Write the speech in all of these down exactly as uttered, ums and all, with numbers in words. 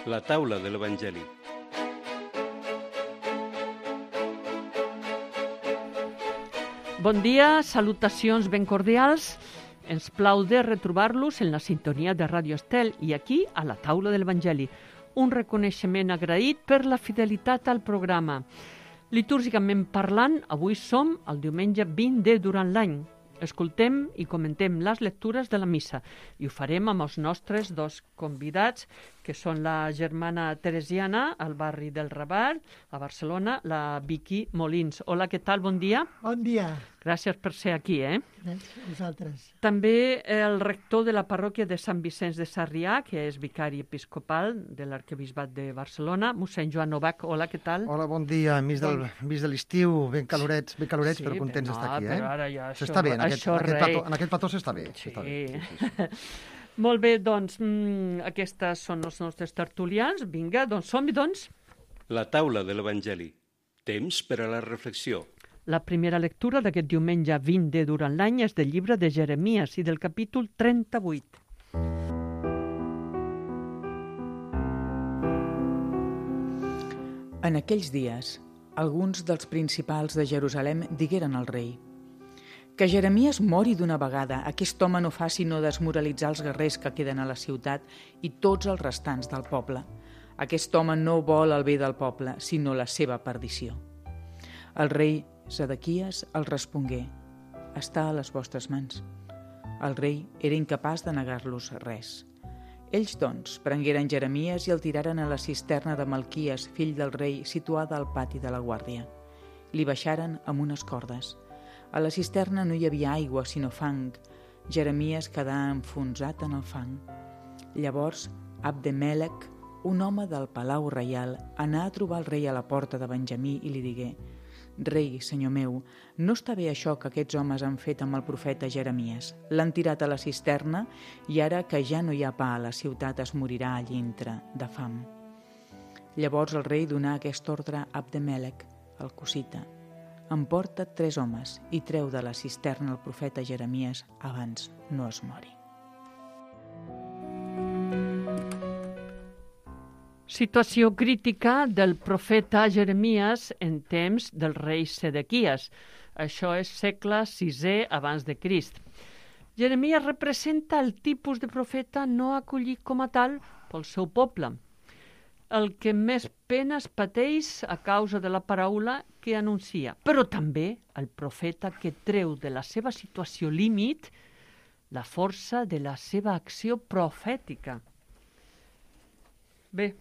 La taula de l'Evangeli. Bon dia, salutacions ben cordials. Ens plau de retrobar-los en la sintonia de Ràdio Estel i aquí, a la taula de l'Evangeli. Un reconeixement agraït per la fidelitat al programa. Litúrgicament parlant, avui som el diumenge vint de durant l'any. Escoltem i comentem les lectures de la missa i ho farem amb els nostres dos convidats, que són la germana teresiana al barri del Raval, a Barcelona, la Vicky Molins. Hola, què tal? Bon dia. Bon dia. Gràcies per ser aquí, eh? Gràcies a vosaltres. També el rector de la parròquia de Sant Vicenç de Sarrià, que és vicari episcopal de l'arquebisbat de Barcelona, mossèn Joan Novak. Hola, què tal? Hola, bon dia. Enmig del, enmig de l'estiu, ben calorets, ben calorets, Sí, però contents no, d'estar aquí, eh? però ara ja això- S'està bé, en aquest, això en aquest, res. plató, en aquest plató s'està bé. Sí. s'està bé. Sí, sí, sí. Molt bé, doncs, mm, aquestes són els nostres tertulians. Vinga, doncs som-hi, doncs. La taula de l'Evangeli. Temps per a la reflexió. La primera lectura d'aquest diumenge vint de durant l'any és del llibre de Jeremies i del capítol trenta-vuit. En aquells dies, alguns dels principals de Jerusalem digueren al rei: que Jeremies mori d'una vegada, aquest home no fa sinó desmoralitzar els guerrers que queden a la ciutat i tots els restants del poble. Aquest home no vol el bé del poble, sinó la seva perdició. El rei Zedequies els respongué: està a les vostres mans. El rei era incapaç de negar-los res. Ells, doncs, prengueren Jeremies i el tiraren a la cisterna de Malquies, fill del rei, situada al pati de la guàrdia. Li baixaren amb unes cordes. A la cisterna no hi havia aigua, sinó fang. Jeremies quedà enfonsat en el fang. Llavors, Abdemelec, un home del palau reial, anà a trobar el rei a la porta de Benjamí i li digué: rei, senyor meu, no està bé això que aquests homes han fet amb el profeta Jeremies. L'han tirat a la cisterna i ara que ja no hi ha pa a la ciutat es morirà a dintre de fam. Llavors el rei donà aquest ordre a Abdemelec, el cosita: emporta tres homes i treu de la cisterna el profeta Jeremies abans no es mori. Situació crítica del profeta Jeremies en temps del rei Zedequies. Això és segle sisè abans de Crist. Jeremies representa el tipus de profeta no acollit com a tal pel seu poble, el que més penes pateix a causa de la paraula que anuncia, però també el profeta que treu de la seva situació límit la força de la seva acció profètica. Bé,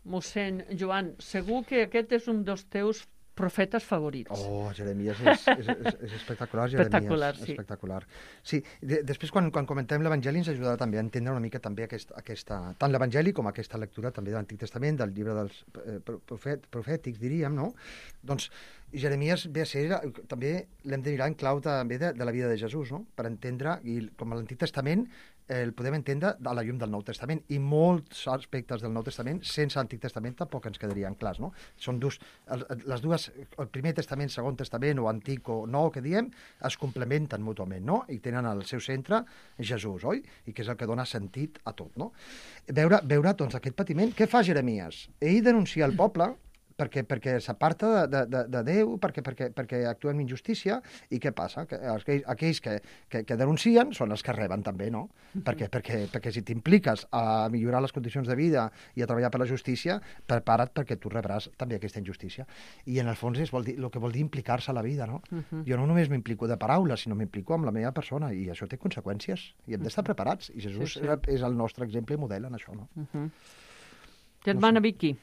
mossèn Joan, segur que aquest és un dels teus profetes favorits. Oh, Jeremies és, és, és, és espectacular, Jeremies. Espectacular, sí. Espectacular. Sí, de, després quan, quan comentem l'Evangeli ens ajudarà també a entendre una mica també aquest, aquesta, tant l'Evangeli com aquesta lectura també de l'Antic Testament, del llibre dels eh, profet, profètics, diríem, no? Doncs Jeremies ve a ser, també l'hem de mirar en clau també de, de la vida de Jesús, no? Per entendre, i com a l'Antic Testament eh, el podem entendre a la llum del Nou Testament, i molts aspectes del Nou Testament sense l'Antic Testament tampoc ens quedarien clars, no? Són dus, les dues, el primer testament, segon testament, o antic o nou, que diem, es complementen mútuament, no? I tenen al seu centre Jesús, oi? I que és el que dona sentit a tot, no? Veure, veure doncs, aquest patiment. Què fa Jeremies? Ell denuncia el poble perquè, perquè s'aparta de, de, de Déu, perquè, perquè, perquè actua amb injustícia, i què passa? Que aquells, aquells que, que, que denuncien són els que reben també, no? Perquè, perquè, perquè si t'impliques a millorar les condicions de vida i a treballar per la justícia, prepara't perquè tu rebràs també aquesta injustícia. I en el fons és vol dir, el que vol dir implicar-se a la vida, no? Uh-huh. Jo no només m'implico de paraules, sinó m'implico amb la meva persona, i això té conseqüències, i hem d'estar preparats, i Jesús sí, sí. és el nostre exemple i model en això, no? Uh-huh. Germana Vicky,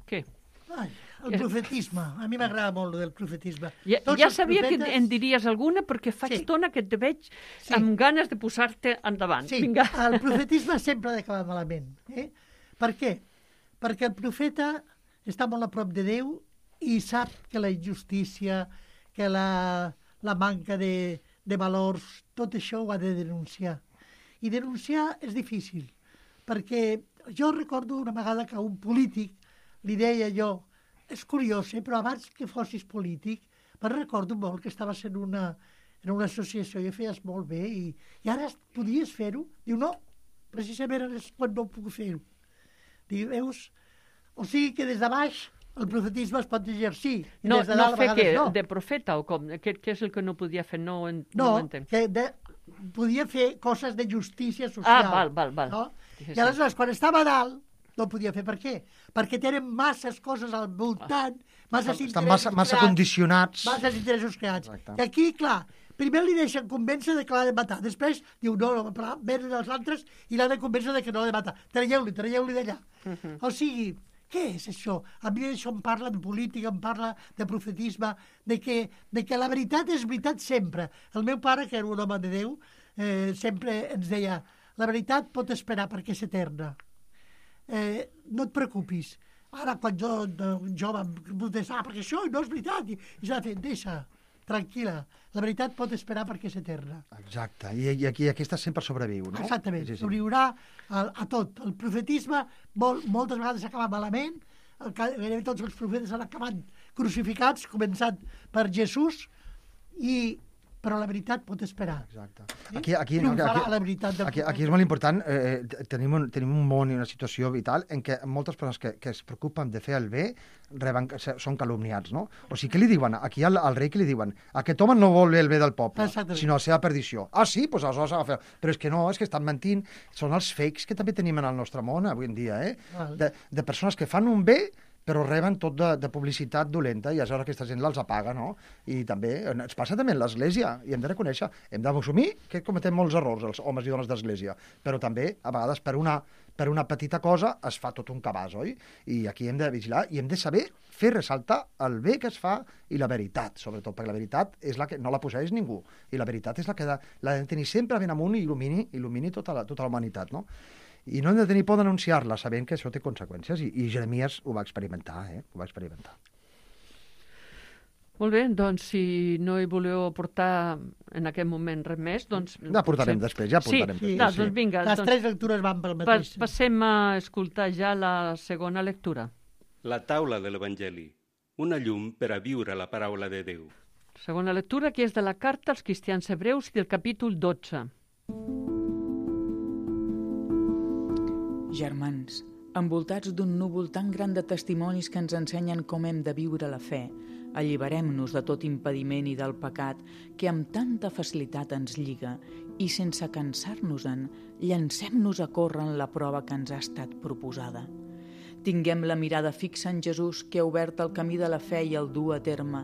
què? Ai, el profetisme. A mi m'agrada molt del profetisme. Ja, Tots ja els sabia profetes... que en diries alguna, perquè faig Sí. estona que te veig Sí. amb ganes de posar-te endavant. Sí, Vinga. el profetisme sempre ha d'acabar malament. Eh? Per què? Perquè el profeta està molt a prop de Déu i sap que la injustícia, que la, la manca de, de valors, tot això ho ha de denunciar. I denunciar és difícil, perquè jo recordo una vegada que un polític li deia jo, és curiós, eh, però abans que fossis polític, me'n recordo molt que estaves en una, en una associació i ho feies molt bé, i, i ara podies fer-ho. Diu, no, precisament ara és quan no puc fer-ho. Veus? O sigui que des de baix el profetisme es pot exercir. I No, des de no dalt, a fer vegades què? no. De profeta o com? Què, què és el que no podia fer? No, ho en, no, No, ho entenc. que de, podia fer coses de justícia social. Ah, val, val, val. No? Sí, sí. I aleshores, quan estava a dalt, no ho podia fer. Per què? Perquè tenen masses coses al voltant, masses Estan interessos massa, massa creats, condicionats. masses interessos creats. Exacte. I aquí, clar, primer li deixen convèncer de que l'ha de matar. Després diu, no, no, però venen els altres i l'ha de convèncer de que no l'ha de matar. Traieu-li, traieu-li d'allà. Uh -huh. O sigui, què és això? A mi això em parla de política, em parla de profetisme, de que, de que la veritat és veritat sempre. El meu pare, que era un home de Déu, eh, sempre ens deia, la veritat pot esperar perquè és eterna. Eh, no et preocupis. Ara, quan jo, de jove, em protestava, perquè això no és veritat, i, i s'ha de fer, deixa, tranquil·la, la veritat pot esperar perquè és eterna. Exacte, i, i aquí aquesta sempre sobreviu, no? Exactament, Sí, sí. sobreviurà a, a tot. El profetisme molt, moltes vegades s'acaba malament, el, gairebé tots els profetes han acabat crucificats, començant per Jesús, i, però la veritat pot esperar. Exacte. Sí? Aquí, aquí, no, Triomfarà aquí, la veritat del aquí, aquí és molt important, eh, tenim, un, tenim un món i una situació vital en què moltes persones que, que es preocupen de fer el bé reben, són calumniats, no? O sigui, què li diuen? Aquí al, al rei què li diuen? Aquest home no vol el bé del poble, Exactament. sinó la seva perdició. Ah, sí? Doncs aleshores ha de fer... Però és que no, és que estan mentint. Són els fakes que també tenim en el nostre món avui en dia, eh? Val. De, de persones que fan un bé però reben tot de, de publicitat dolenta i aleshores aquesta gent els apaga, no? I també, ens passa també en l'Església, i hem de reconèixer, hem d'assumir que cometem molts errors, els homes i dones d'Església, però també, a vegades, per una, per una petita cosa es fa tot un cabàs, oi? I aquí hem de vigilar i hem de saber fer ressaltar el bé que es fa i la veritat, sobretot, perquè la veritat és la que no la posseeix ningú, i la veritat és la que l'ha de tenir sempre ben amunt i il·lumini, il·lumini tota la, tota la humanitat, no? I no hem de tenir por d'anunciar-la, sabent que això té conseqüències, i, i Jeremies ho va experimentar, eh? Ho va experimentar. Molt bé, doncs si no hi voleu aportar en aquest moment res més, doncs... Ja portarem potser- després, ja portarem sí, després, no, sí. doncs vinga. Les doncs, tres lectures van pel pa- mateix. passem a escoltar ja la segona lectura. La taula de l'Evangeli, una llum per a viure la paraula de Déu. Segona lectura, que és de la carta als cristians hebreus i del capítol dotze. Germans, envoltats d'un núvol tan gran de testimonis que ens ensenyen com hem de viure la fe, alliberem-nos de tot impediment i del pecat que amb tanta facilitat ens lliga i sense cansar-nos-en, llancem-nos a córrer en la prova que ens ha estat proposada. Tinguem la mirada fixa en Jesús que ha obert el camí de la fe i el du a terme.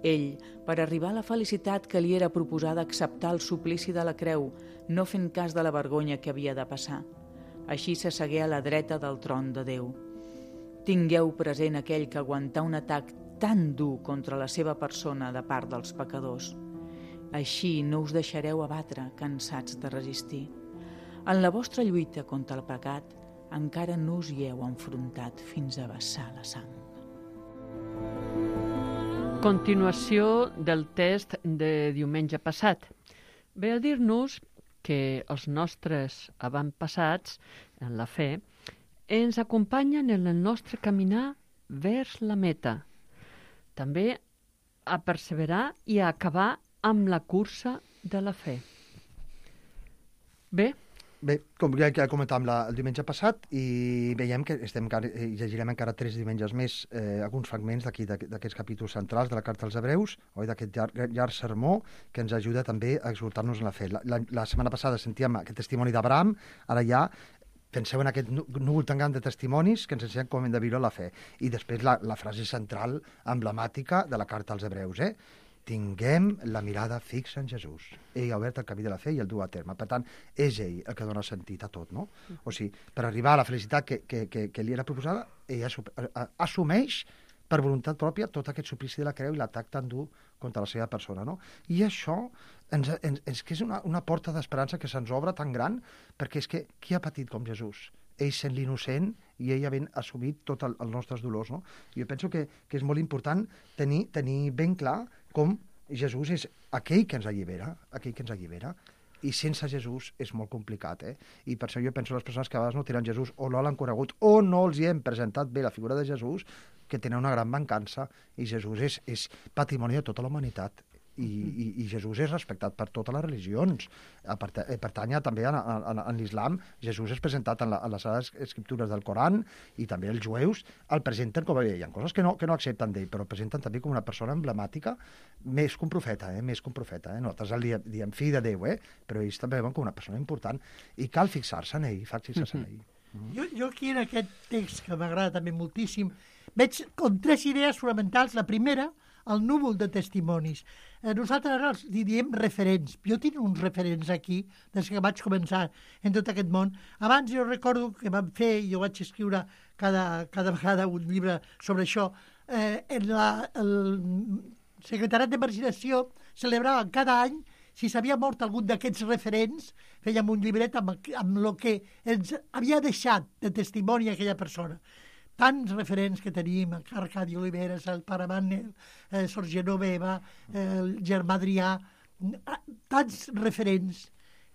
Ell, per arribar a la felicitat que li era proposada, acceptar el suplici de la creu, no fent cas de la vergonya que havia de passar. Així s'assegué a la dreta del tron de Déu. Tingueu present aquell que aguantà un atac tan dur contra la seva persona de part dels pecadors. Així no us deixareu abatre, cansats de resistir. En la vostra lluita contra el pecat, encara no us hi heu enfrontat fins a vessar la sang. Continuació del test de diumenge passat. Ve a dir-nos que els nostres avantpassats en la fe ens acompanyen en el nostre caminar vers la meta. També a perseverar i a acabar amb la cursa de la fe. Bé, Bé, com ja ja comentàvem la, el diumenge passat, i veiem que estem, encara- eh, llegirem encara tres diumenges més eh, alguns fragments d'aquí d'aqu- d'aquests capítols centrals de la Carta als Hebreus, oi, d'aquest llarg, llarg sermó que ens ajuda també a exhortar-nos en la fe. La, la, la setmana passada sentíem aquest testimoni d'Abraham, ara ja penseu en aquest nú- núvol tan gran de testimonis que ens ensenyen com hem de viure la fe. I després la, la frase central, emblemàtica de la Carta als Hebreus, eh? Tinguem la mirada fixa en Jesús. Ell ha obert el camí de la fe i el du a terme. Per tant, és ell el que dona sentit a tot, no? O sigui, per arribar a la felicitat que, que, que, que li era proposada, ell assu- a- assumeix per voluntat pròpia tot aquest suplici de la creu i l'atac tan dur contra la seva persona, no? I això ens, ens, és que és una, una porta d'esperança que se'ns obre tan gran, perquè és que qui ha patit com Jesús? Ell sent l'innocent i ell havent assumit tots el, els nostres dolors, no? Jo penso que, que és molt important tenir, tenir ben clar com Jesús és aquell que ens allibera, aquell que ens allibera, i sense Jesús és molt complicat, eh? I per això jo penso que les persones que a vegades no tenen Jesús o no l'han conegut o no els hi hem presentat bé la figura de Jesús, que tenen una gran mancança, i Jesús és, és patrimoni de tota la humanitat. I, i, i Jesús és respectat per totes les religions. Pertany també a, a, a, a l'islam. Jesús és presentat en, la, en les Sagrades Escriptures del Coran, i també els jueus el presenten com a... Hi ha coses que no, que no accepten d'ell, però el presenten també com una persona emblemàtica, més que un profeta, eh? més que un profeta. Eh? Nosaltres el diem, diem fill de Déu, eh? però ells també veuen com una persona important, i cal fixar-se en ell, fixar-se en ell. Mm-hmm. Jo, jo aquí en aquest text, que m'agrada també moltíssim, veig com tres idees fonamentals. La primera, el núvol de testimonis. Eh, nosaltres ara els diem referents. Jo tinc uns referents aquí, des que vaig començar en tot aquest món. Abans jo recordo que vam fer, jo vaig escriure cada, cada vegada un llibre sobre això, eh, en la, el Secretariat de Marginació celebrava cada any, si s'havia mort algun d'aquests referents, fèiem un llibret amb, amb el que ens havia deixat de testimoni aquella persona. Tants referents que tenim, Arcadi Oliveres, el pare Manel, eh, Sor Genoveva, eh, el germà Adrià, tants referents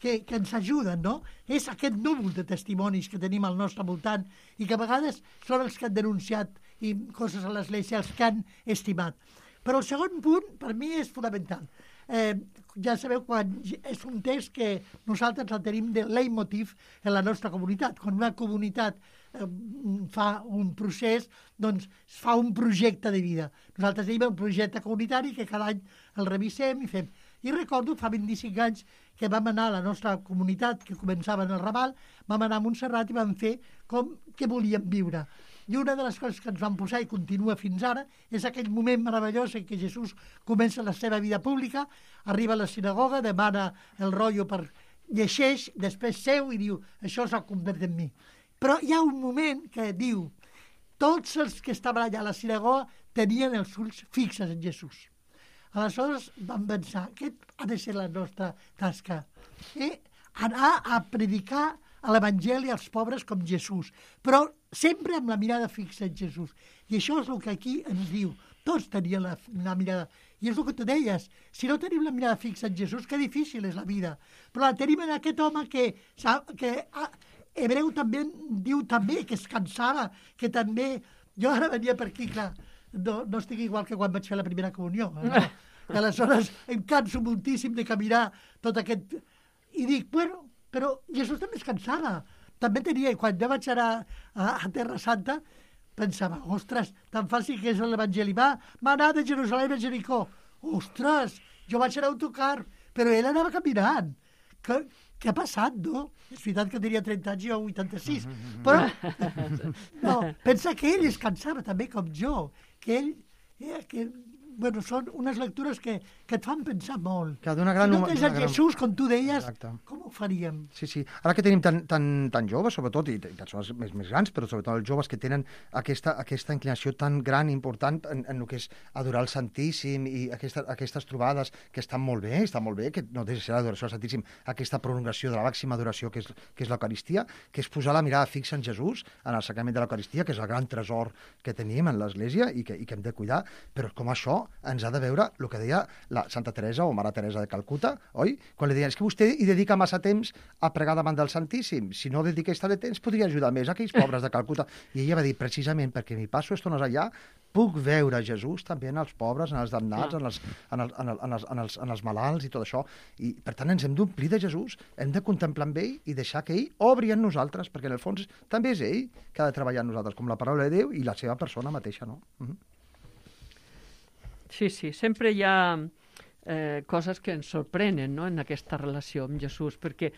que, que ens ajuden, no? És aquest núvol de testimonis que tenim al nostre voltant i que a vegades són els que han denunciat i coses a l'Església, els que han estimat. Però el segon punt, per mi, és fonamental. Eh, ja sabeu, quan és un text que nosaltres el tenim de leitmotiv en la nostra comunitat. Quan una comunitat eh, fa un procés, doncs fa un projecte de vida. Nosaltres tenim un projecte comunitari que cada any el revisem i fem. I recordo, fa vint-i-cinc anys, que vam anar a la nostra comunitat, que començava en el Raval, vam anar a Montserrat i vam fer com que volíem viure. I una de les coses que ens van posar i continua fins ara és aquell moment meravellós en què Jesús comença la seva vida pública, arriba a la sinagoga, demana el rotllo per llegeix, després seu i diu, això s'ha convertit en mi. Però hi ha un moment que diu, tots els que estaven allà a la sinagoga tenien els ulls fixes en Jesús. Aleshores vam pensar, aquest ha de ser la nostra tasca, eh? Anar a predicar a l'Evangeli als pobres com Jesús, però sempre amb la mirada fixa en Jesús. I això és el que aquí ens diu. Tots tenien la, la mirada. I és el que tu deies. Si no tenim la mirada fixa en Jesús, que difícil és la vida. Però la tenim en aquest home que... que ah, Hebreu també diu també que es cansava, que també... Jo ara venia per aquí, clar, no, no estic igual que quan vaig fer la primera comunió. No? I aleshores em canso moltíssim de caminar tot aquest... I dic, bueno, però Jesús també es cansava. També tenia, i quan jo vaig anar a, a Terra Santa, pensava, ostres, tan fàcil que és l'Evangeli. Va, va anar de Jerusalem a Jericó. Ostres, jo vaig anar a autocar, però ell anava caminant. Què, què ha passat, no? És veritat que tenia trenta anys, jo vuitanta-sis. Però, no, pensa que ell es cansava també com jo, que ell... Eh, que, bueno, són unes lectures que, que et fan pensar molt. Que d'una gran... Si no tens a gran... Jesús, com tu deies, exacte, com ho faríem? Sí, sí. Ara que tenim tan, tan, tan joves, sobretot, i, i persones més, més grans, però sobretot els joves que tenen aquesta, aquesta inclinació tan gran i important en, en el que és adorar el Santíssim i aquesta, aquestes trobades que estan molt bé, estan molt bé, que no deixa de ser l'adoració al Santíssim, aquesta prolongació de la màxima adoració que és, que és l'Eucaristia, que és posar la mirada fixa en Jesús, en el sacrament de l'Eucaristia, que és el gran tresor que tenim en l'Església i que, i que hem de cuidar, però com això ens ha de veure el que deia la Santa Teresa o Mare Teresa de Calcuta, oi? Quan li deien, és que vostè hi dedica massa temps a pregar davant del Santíssim. Si no dediqués tant de temps, podria ajudar més a aquells pobres de Calcuta. I ella va dir, precisament perquè m'hi passo estones allà, puc veure Jesús també en els pobres, en els damnats, en els, en els, en els, en els, en els, en els malalts i tot això. I, per tant, ens hem d'omplir de Jesús, hem de contemplar amb ell i deixar que ell obri en nosaltres, perquè en el fons també és ell que ha de treballar en nosaltres, com la paraula de Déu i la seva persona mateixa, no? Uh-huh. Sí, sí, sempre hi ha eh, coses que ens sorprenen, no?, en aquesta relació amb Jesús, perquè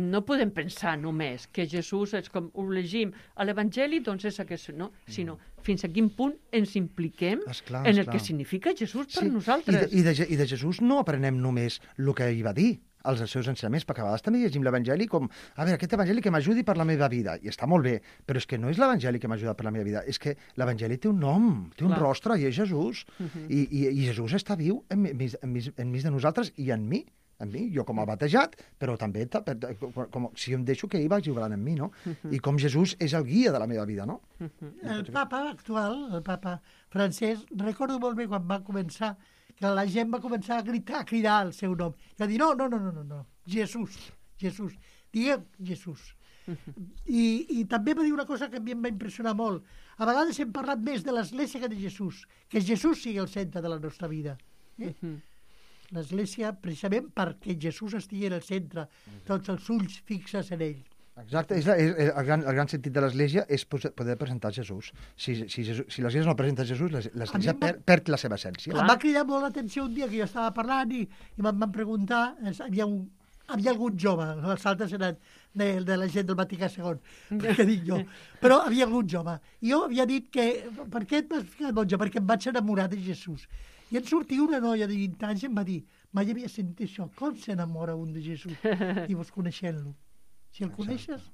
no podem pensar només que Jesús és com ho llegim a l'Evangeli, doncs és aquest, no? Sinó fins a quin punt ens impliquem esclar, en el esclar. que significa Jesús per sí. nosaltres. I de, i, de, I de Jesús no aprenem només el que ell va dir, els seus ensenyaments, perquè a vegades també llegim l'Evangeli com, a veure, aquest Evangeli que m'ajudi per la meva vida, i està molt bé, però és que no és l'Evangeli que m'ajuda per la meva vida, és que l'Evangeli té un nom, té un Clar. rostre, i és Jesús, Uh-huh. I, i, i Jesús està viu enmig, enmig, enmig de nosaltres i en mi, en mi, jo com a batejat, però també com, si em deixo que ell vagi obrant en mi, no? Uh-huh. I com Jesús és el guia de la meva vida, no? Uh-huh. El papa actual, el papa francès, recordo molt bé quan va començar, que la gent va començar a gritar, a cridar el seu nom. I va dir, no, no, no, no, no, no. Jesús, Jesús, digueu Jesús. Uh-huh. I, I també va dir una cosa que a mi em va impressionar molt. A vegades hem parlat més de l'Església que de Jesús, que Jesús sigui el centre de la nostra vida. Eh? Uh-huh. l'església precisament perquè Jesús estigui al centre, tots els ulls fixes en ell. Exacte, és, és, és, el, gran, el gran sentit de l'Església és poder presentar Jesús. Si, si, Jesús, si l'Església no presenta Jesús, l'Església va... per, perd la seva essència. Em va cridar molt l'atenció un dia que jo estava parlant i, i em van preguntar, havia, un, havia algun jove, els altres eren de, de la gent del Vaticà segon, que dic jo, però havia algun jove. I jo havia dit que, per què et vas ficar monja? Perquè em vaig enamorar de Jesús. I en sortia una noia de vint anys i em va dir, mai havia sentit això, com s'enamora un de Jesús? Dius, coneixent-lo. Si el coneixes,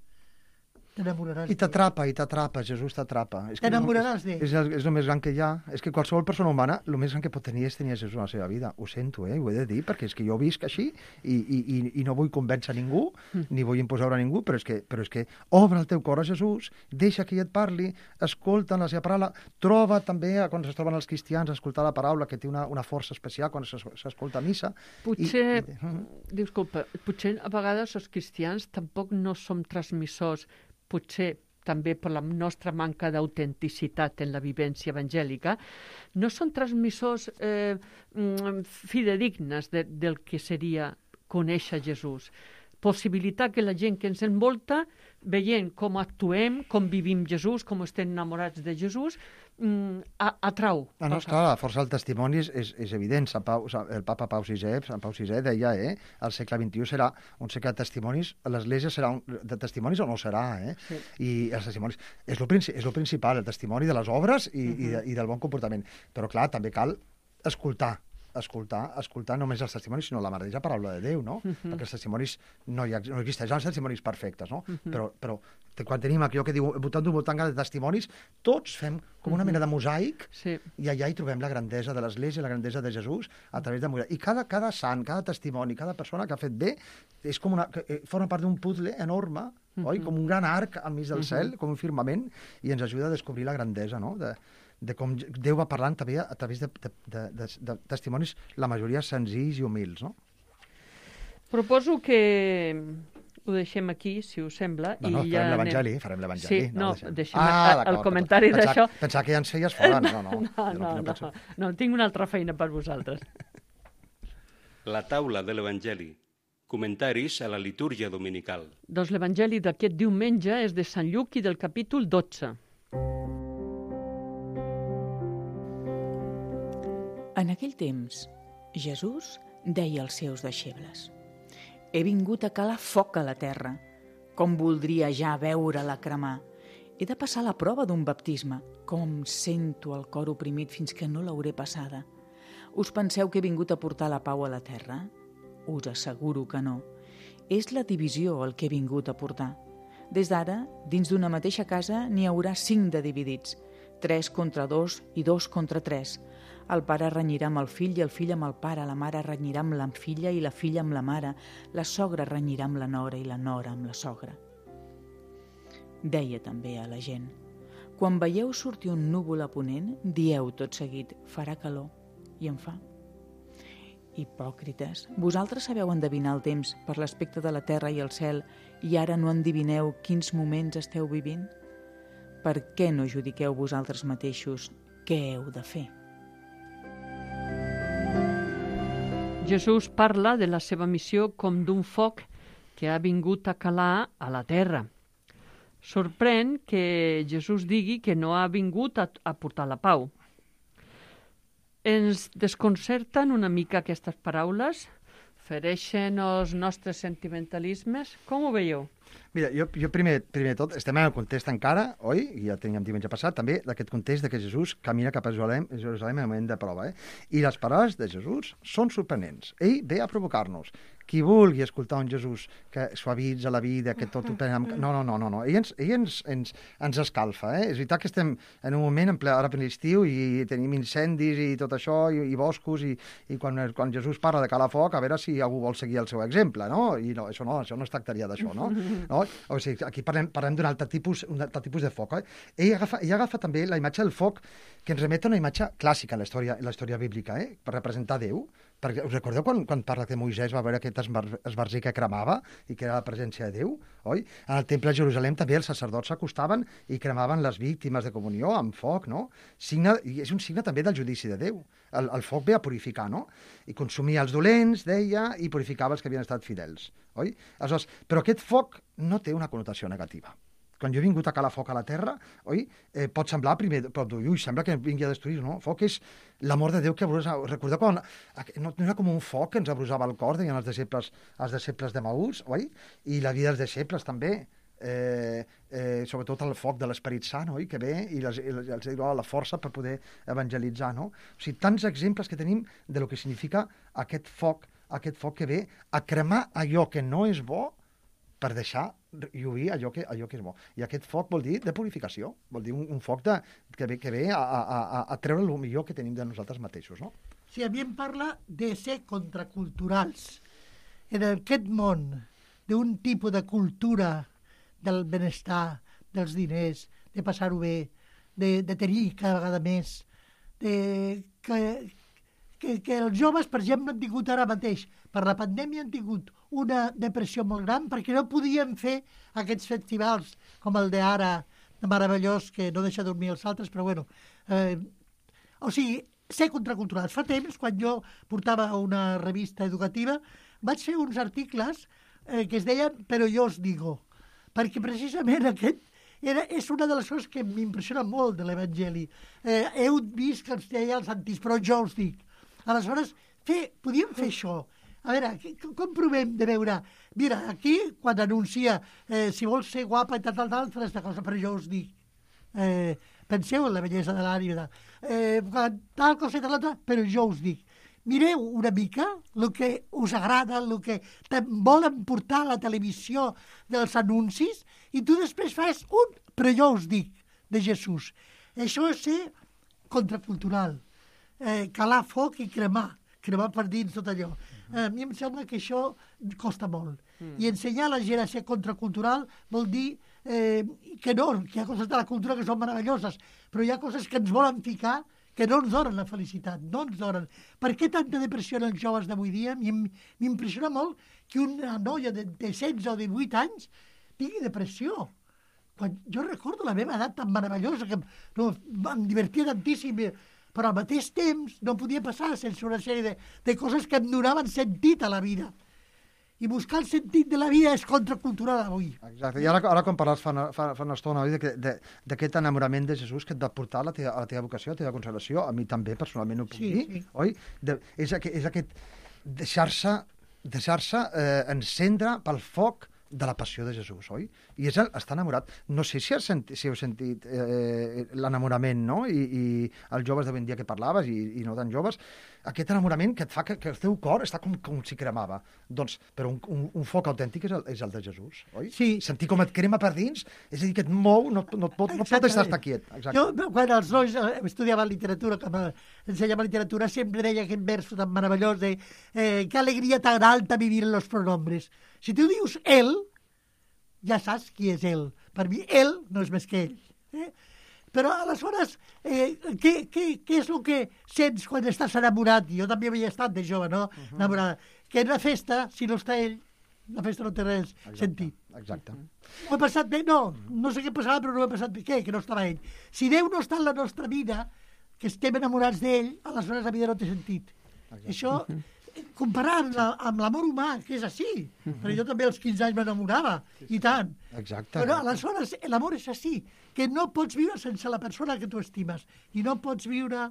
t'enamoraràs. I t'atrapa, i t'atrapa, Jesús t'atrapa. T'enamoraràs d'ell. És, és, és el més gran que hi ha. És que qualsevol persona humana, el més gran que pot tenir és tenir Jesús a la seva vida. Ho sento, eh? Ho he de dir, perquè és que jo visc així i, i, i, i no vull convèncer ningú, ni vull imposar a ningú, però és, que, però és que obre el teu cor a Jesús, deixa que ell et parli, escolta la seva paraula, troba també, quan es troben els cristians, escoltar la paraula, que té una, una força especial quan s'escolta a missa. Potser, I, i... disculpa, potser a vegades els cristians tampoc no som transmissors, potser també per la nostra manca d'autenticitat en la vivència evangèlica, no són transmissors eh, fidedignes de, del que seria conèixer Jesús. Possibilitar que la gent que ens envolta, veient com actuem, com vivim Jesús, com estem enamorats de Jesús, atrau. Ah, no, esclar, la força del testimoni és, és, és evident. Sant Pau, el papa Pau sisè, Sant Pau sisè deia, eh, el segle vint-i-u serà un segle de testimonis, l'Església serà un, de testimonis o no serà, eh? Sí. I els testimonis, és el princi, és principal, el testimoni de les obres i, uh-huh. i, de, i del bon comportament. Però, clar, també cal escoltar, escoltar, escoltar només els testimonis, sinó la mateixa paraula de Déu, no? Uh-huh. Perquè els testimonis no, hi ha, no existeixen els testimonis perfectes, no? Uh-huh. Però, però quan tenim aquí allò que diu voltant d'un voltant de testimonis, tots fem com una uh-huh. mena de mosaic, sí. I allà hi trobem la grandesa de l'Església, la grandesa de Jesús, a través de mosaic. I cada, cada sant, cada testimoni, cada persona que ha fet bé, és com una, que forma part d'un puzzle enorme, uh-huh. oi? Com un gran arc al mig del uh-huh. cel, com un firmament, i ens ajuda a descobrir la grandesa, no?, de, de com Déu va parlant també a través de, de, de, de, de testimonis, la majoria senzills i humils, no? Proposo que ho deixem aquí, si us sembla. No, no, i farem ja l'Evangeli, farem l'Evangeli. Sí, no, no deixem ah, el comentari d'això. Pensava que ja ens feies fora, no, no. No, no, no, no, no, no, tinc una altra feina per vosaltres. La taula de l'Evangeli. Comentaris a la litúrgia dominical. Doncs l'Evangeli d'aquest diumenge és de Sant Lluc i del capítol dotze. En aquell temps, Jesús deia als seus deixebles: «He vingut a calar foc a la terra, com voldria ja veure-la cremar. He de passar la prova d'un baptisme, com sento el cor oprimit fins que no l'hauré passada. Us penseu que he vingut a portar la pau a la terra? Us asseguro que no. És la divisió el que he vingut a portar. Des d'ara, dins d'una mateixa casa n'hi haurà cinc de dividits, tres contra dos i dos contra tres. El pare renyirà amb el fill i el fill amb el pare, la mare renyirà amb la filla i la filla amb la mare, la sogra renyirà amb la nora i la nora amb la sogra». Deia també a la gent: «Quan veieu sortir un núvol a ponent, dieu tot seguit, farà calor, i en fa. Hipòcrites, vosaltres sabeu endevinar el temps per l'aspecte de la terra i el cel, i ara no endevineu quins moments esteu vivint? Per què no judiqueu vosaltres mateixos què heu de fer?» Jesús parla de la seva missió com d'un foc que ha vingut a calar a la terra. Sorprèn que Jesús digui que no ha vingut a, a portar la pau. Ens desconcerten una mica aquestes paraules? Fereixen els nostres sentimentalismes? Com ho veieu? Mira, jo, jo primer, primer de tot, estem en el context encara, oi? I ja teníem diumenge passat, també, d'aquest context de que Jesús camina cap a Jerusalem, Jerusalem en el moment de prova, eh? I les paraules de Jesús són sorprenents. Ell ve a provocar-nos. Qui vulgui escoltar un Jesús que suavitza la vida, que tot ho pren amb... No, no, no, no, no. Ell, ens, ell ens, ens, ens escalfa, eh? És veritat que estem en un moment en ple, ara per l'estiu i tenim incendis i tot això, i, i boscos, i, i quan, quan Jesús parla de calar foc, a veure si algú vol seguir el seu exemple, no? I no, això no, això no es tractaria d'això, no? no? O sigui, aquí parlem, parlem d'un altre tipus, un altre tipus de foc, eh? Ell agafa, ell agafa també la imatge del foc que ens remet a una imatge clàssica en la història, en la història bíblica, eh? Per representar Déu. Perquè us recordeu quan, quan parla que Moisès va veure aquest esbar- esbarzer que cremava i que era la presència de Déu, oi? En el temple de Jerusalem també els sacerdots s'acostaven i cremaven les víctimes de comunió amb foc, no? Signe, i és un signe també del judici de Déu. El, el foc ve a purificar, no? I consumia els dolents, deia, i purificava els que havien estat fidels, oi? Aleshores, però aquest foc no té una connotació negativa. Quan jo he vingut a calar foc a la terra, oi? Eh, pot semblar primer, pot dir, ui, sembla que vingui a destruir, no? Foc és l'amor de Déu que abrusa. Recordeu quan no, no era com un foc que ens abrusava el cor, deien els deixebles, els deixebles de Maús, oi? I la vida dels deixebles també, eh, eh, sobretot el foc de l'Esperit Sant, oi? Que ve i les, i les, els dona la força per poder evangelitzar, no? O sigui, tants exemples que tenim de lo que significa aquest foc, aquest foc que ve a cremar allò que no és bo per deixar lluir allò que, allò que és bo. I aquest foc vol dir de purificació, vol dir un, un foc de, que ve, que ve a, a, a, a treure el millor que tenim de nosaltres mateixos, no? Sí, a mi em parla de ser contraculturals. En aquest món d'un tipus de cultura del benestar, dels diners, de passar-ho bé, de, de tenir cada vegada més, de, que, que, que els joves, per exemple, han tingut ara mateix, per la pandèmia han tingut una depressió molt gran perquè no podien fer aquests festivals com el d'ara, de meravellós, que no deixa dormir els altres, però bueno. Eh, o sigui, ser contraculturals. Fa temps, quan jo portava una revista educativa, vaig fer uns articles eh, que es deien «Però jo us digo», perquè precisament aquest era, és una de les coses que m'impressiona molt de l'Evangeli. Eh, heu vist que ens deia els antics, però jo us dic. Aleshores, fer, podíem fer això. A veure, com provem de veure? Mira, aquí, quan anuncia eh, si vols ser guapa i tal, tal, tal, fes aquesta cosa, però jo us dic. Eh, penseu en la bellesa de l'ànima. Eh, tal cosa i tal, tal, però jo us dic. Mireu una mica el que us agrada, el que volen portar a la televisió dels anuncis, i tu després fas un, però jo us dic, de Jesús. Això és ser contracultural. Eh, calar foc i cremar. Cremar per dins tot allò. A mi em sembla que això costa molt. Mm. I ensenyar a la gent a ser contracultural vol dir eh, que no, que hi ha coses de la cultura que són meravelloses, però hi ha coses que ens volen ficar que no ens donen la felicitat, no ens donen. Per què tanta depressió en els joves d'avui dia? M'impressiona molt que una noia de, de setze o divuit anys tingui depressió. Quan jo recordo la meva edat tan meravellosa, que no, em divertia tantíssim, però al mateix temps no podia passar sense una sèrie de, de coses que em donaven sentit a la vida. I buscar el sentit de la vida és contracultural avui. Exacte. I ara, ara quan parles fa, fa, fa una estona d'aquest enamorament de Jesús que et va portar a la teva, a la teva vocació, a la teva consagració, a mi també personalment ho puc sí, dir, sí. oi? De, és, aquest, és aquest deixar-se deixar-se eh, encendre pel foc de la passió de Jesús, oi? I és el, està enamorat. No sé si, has senti, si heu sentit eh, l'enamorament, no? I, I els joves d'avui en dia que parlaves, i, i no tan joves, aquest enamorament que et fa que, que el teu cor està com, com si cremava. Doncs, però un, un, un foc autèntic és el, és el de Jesús, oi? Sí. Sentir com et crema per dins, és a dir, que et mou, no, no, et pot, no pot estar quiet. Exacte. Jo, quan els nois eh, estudiaven literatura, com ensenyava literatura, sempre deia aquest verso tan meravellós de eh, que alegria tan alta vivir en los pronombres. Si tu dius ell, ja saps qui és ell. Per mi, ell no és més que ell. Eh? Però, aleshores, eh, què, què, què és el que sents quan estàs enamorat? Jo també havia estat de jove, no? Uh -huh. Enamorada. Que en la festa, si no està ell, la festa no té res exacte, sentit. Exacte. Ho he passat bé? No, no sé què passava, però no ho he passat bé. Què? Que no estava ell. Si Déu no està en la nostra vida, que estem enamorats d'ell, aleshores la vida no té sentit. Exacte. Això... comparant amb l'amor humà, que és així. Però jo també als quinze anys m'enamorava, i tant. Exacte. Però aleshores l'amor és així, que no pots viure sense la persona que tu estimes. I no pots viure...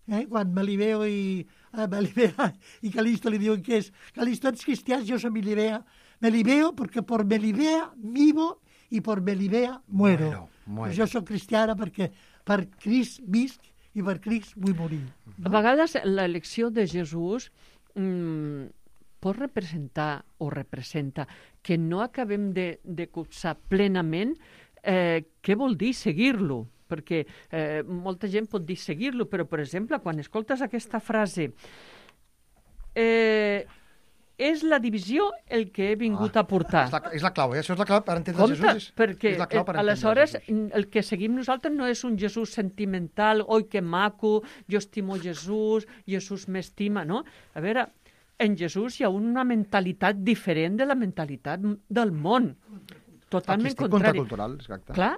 Eh, quan Melibeo i, eh, Melibea i Calisto li diuen que és Calisto, ets cristians, jo soy Melibea. Melibeo perquè por Melibea vivo i por Melibea muero. muero, muero. Pues jo soc cristiana perquè per Crist visc i per Crist vull morir. A vegades l'elecció de Jesús mm, pot representar o representa que no acabem de, de copsar plenament eh, què vol dir seguir-lo, perquè eh, molta gent pot dir seguir-lo, però, per exemple, quan escoltes aquesta frase eh, és la divisió el que he vingut Ah, a portar. És la, és la clau, eh? Això és la clau per entendre Compte, Jesús. És, perquè és la clau per eh, entendre aleshores Jesús. el que seguim nosaltres no és un Jesús sentimental, oi que maco, jo estimo Jesús, Jesús m'estima, no? A veure, en Jesús hi ha una mentalitat diferent de la mentalitat del món. Totalment Artístic, contrari. contracultural, exacte. Clar,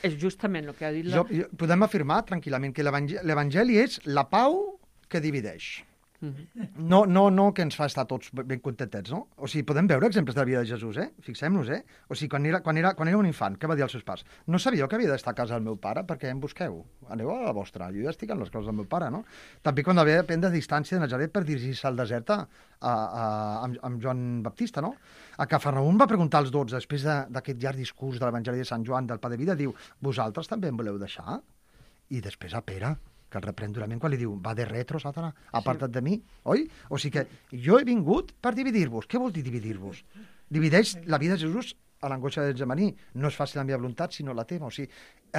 és justament el que ha dit la... Jo, jo, podem afirmar tranquil·lament que l'evangeli l'evangeli és la pau que divideix. Mhm. No, no, no que ens fa estar tots ben contentets, no? O sigui, podem veure exemples de la vida de Jesús, eh? Fixem-nos, eh? O sigui, quan era, quan, era, quan era un infant, què va dir als seus pares? No sabíeu que havia d'estar a casa del meu pare perquè em busqueu. Aneu a la vostra, jo ja estic en les coses del meu pare, no? També quan havia de prendre distància de Nazaret per dirigir-se al desert a, a, a, amb, amb Joan Baptista, no? A Cafarnaum va preguntar als dotze, després d'aquest llarg discurs de l'Evangeli de Sant Joan, del Pa de Vida, diu, vosaltres també em voleu deixar? I després a Pere, que el reprèn durament quan li diu, va de retro, Satana, aparta't de mi, oi? O sigui que jo he vingut per dividir-vos. Què vol dir dividir-vos? Divideix la vida de Jesús a l'angoixa de Getsemaní. No és fàcil la meva voluntat, sinó la teva. O sigui,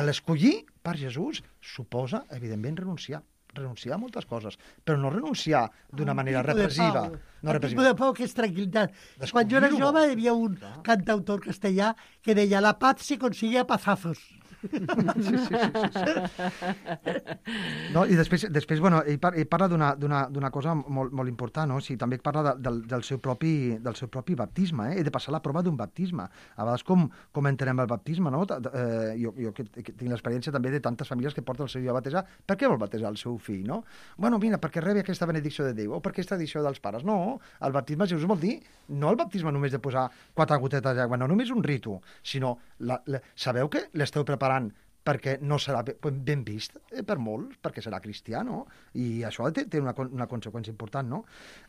l'escollir per Jesús suposa, evidentment, renunciar. Renunciar a moltes coses, però no renunciar d'una manera repressiva. No el tipus de pau que és tranquil·litat. Quan jo era Descobrir-ho. jove hi havia un cantautor castellà que deia la paz se consigue a pazazos. Sí, sí, sí, sí, sí. No, i després, després bueno, ell, par ell parla d'una cosa molt, molt important, no? O sigui, també parla de, del, del, seu propi, del seu propi baptisme, eh? He de passar la prova d'un baptisme. A vegades com, com entenem el baptisme, no? Eh, jo jo que, que tinc l'experiència també de tantes famílies que porten el seu fill a batejar. Per què vol batejar el seu fill, no? Bueno, mira, perquè rebi aquesta benedicció de Déu, o perquè és tradició dels pares. No, el baptisme de Jesús vol dir, no el baptisme només de posar quatre gotetes d'aigua, no només un ritu, sinó, la, la, sabeu que l'esteu preparant perquè no serà ben vist eh, per molts, perquè serà cristià, no? I això té, té una, una conseqüència important, no?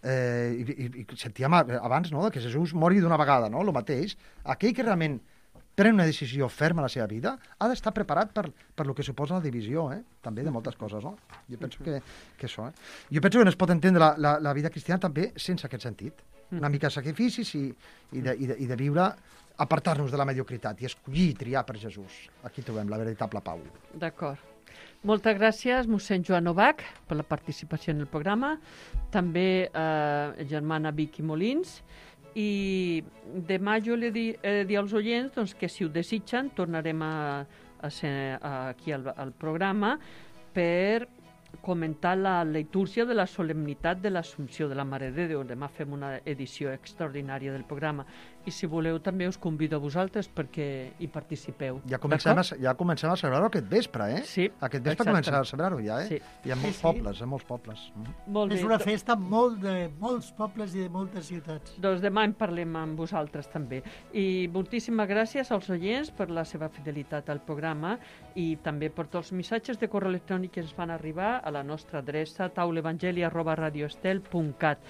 Eh, i, i, i sentíem abans, no?, que Jesús mori d'una vegada, no?, el mateix. Aquell que realment pren una decisió ferma a la seva vida ha d'estar preparat per, per lo que suposa la divisió, eh? També de moltes coses, no? Jo penso que, que això, eh? Jo penso que no es pot entendre la, la, la vida cristiana també sense aquest sentit. Una mica de sacrificis i, i, de, i, de, i de viure, apartar-nos de la mediocritat i escollir i triar per Jesús. Aquí trobem la veritable pau. D'acord. Moltes gràcies, mossèn Joan Novak, per la participació en el programa. També eh, germana Vicky Molins. I demà jo li di, eh, dir als oients doncs, que si ho desitgen tornarem a, a ser aquí al, al programa per comentar la litúrgia de la solemnitat de l'Assumpció de la Mare de Déu. Demà fem una edició extraordinària del programa i si voleu també us convido a vosaltres perquè hi participeu. Ja comencem, a, ja comencem a celebrar-ho aquest vespre, eh? Sí. Aquest vespre exactament. comencem a celebrar-ho ja, eh? Sí. I en molts Sí, sí. pobles, en molts pobles. Mm. Molt És bé. una festa molt de molts pobles i de moltes ciutats. Doncs demà en parlem amb vosaltres també. I moltíssimes gràcies als oients per la seva fidelitat al programa i també per tots els missatges de correu electrònic que ens van arribar a la nostra adreça taulevangeli arroba radioestel punt cat.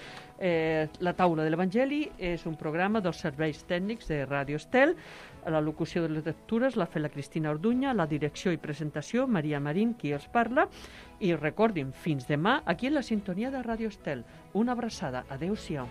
Eh, la Taula de l'Evangeli és un programa dels serveis tècnics de Radio Estel. La locució de les lectures l'ha fet la Cristina Orduña, la direcció i presentació Maria Marín, qui els parla. I recordin, fins demà, aquí en la sintonia de Radio Estel. Una abraçada. Adéu-siau.